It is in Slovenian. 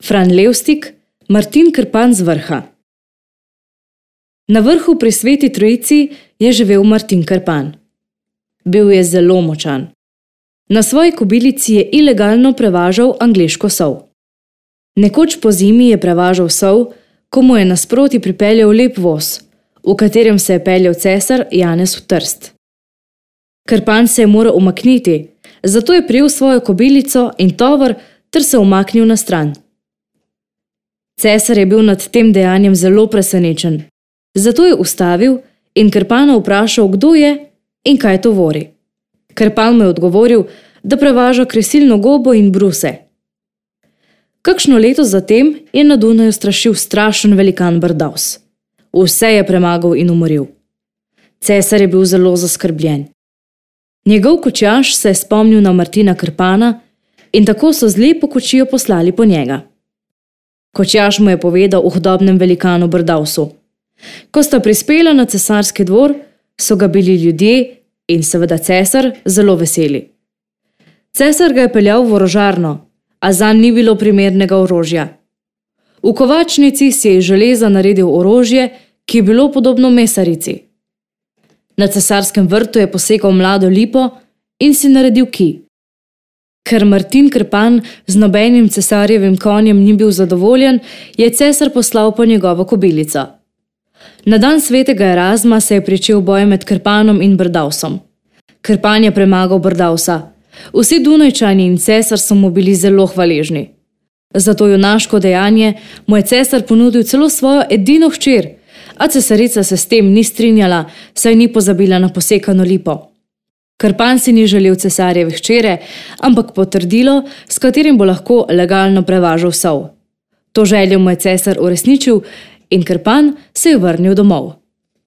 Fran Levstik, Martin Krpan z Vrha. Na vrhu pri Sveti Trojici je živel Martin Krpan. Bil je zelo močan. Na svoji kobilici je ilegalno prevažal angleško sol. Nekoč po zimi je prevažal sol, ko mu je nasproti pripeljal lep voz, v katerem se je peljal cesar Janez v Trst. Krpan se je moral umakniti, zato je prijel svojo kobilico in tovor ter se umaknil na stran. Cesar je bil nad tem dejanjem zelo presenečen, zato je ustavil in Krpana vprašal, kdo je in kaj tovori. Krpan mu je odgovoril, da prevaža kresilno gobo in bruse. Kakšno leto zatem je na Dunaju strašil strašen velikan Brdavs. Vse je premagal in umoril. Cesar je bil zelo zaskrbljen. Njegov kočjaž se je spomnil na Martina Krpana in tako so z lepo kočijo poslali po njega. Kočjaž mu je povedal o hudobnem velikanu Brdavsu. Ko sta prispela na cesarski dvor, so ga bili ljudje in seveda cesar zelo veseli. Cesar ga je peljal v orožarno, a zanj ni bilo primernega orožja. V kovačnici si je iz železa naredil orožje, ki je bilo podobno mesarici. Na cesarskem vrtu je posekal mlado lipo in si naredil kij. Ker Martin Krpan z nobenim cesarjevim konjem ni bil zadovoljen, je cesar poslal po njegovo kobilico. Na dan svetega Erazma se je pričel boj med Krpanom in Brdavsom. Krpan je premagal Brdavsa. Vsi Dunajčani in cesar so mu bili zelo hvaležni. Za to junaško dejanje mu je cesar ponudil celo svojo edino hčer, a cesarica se s tem ni strinjala, saj ni pozabila na posekano lipo. Krpan si ni želel cesarjeve hčere, ampak potrdilo, s katerim bo lahko legalno prevažal sol. To željo mu je cesar uresničil in Krpan se je vrnil domov.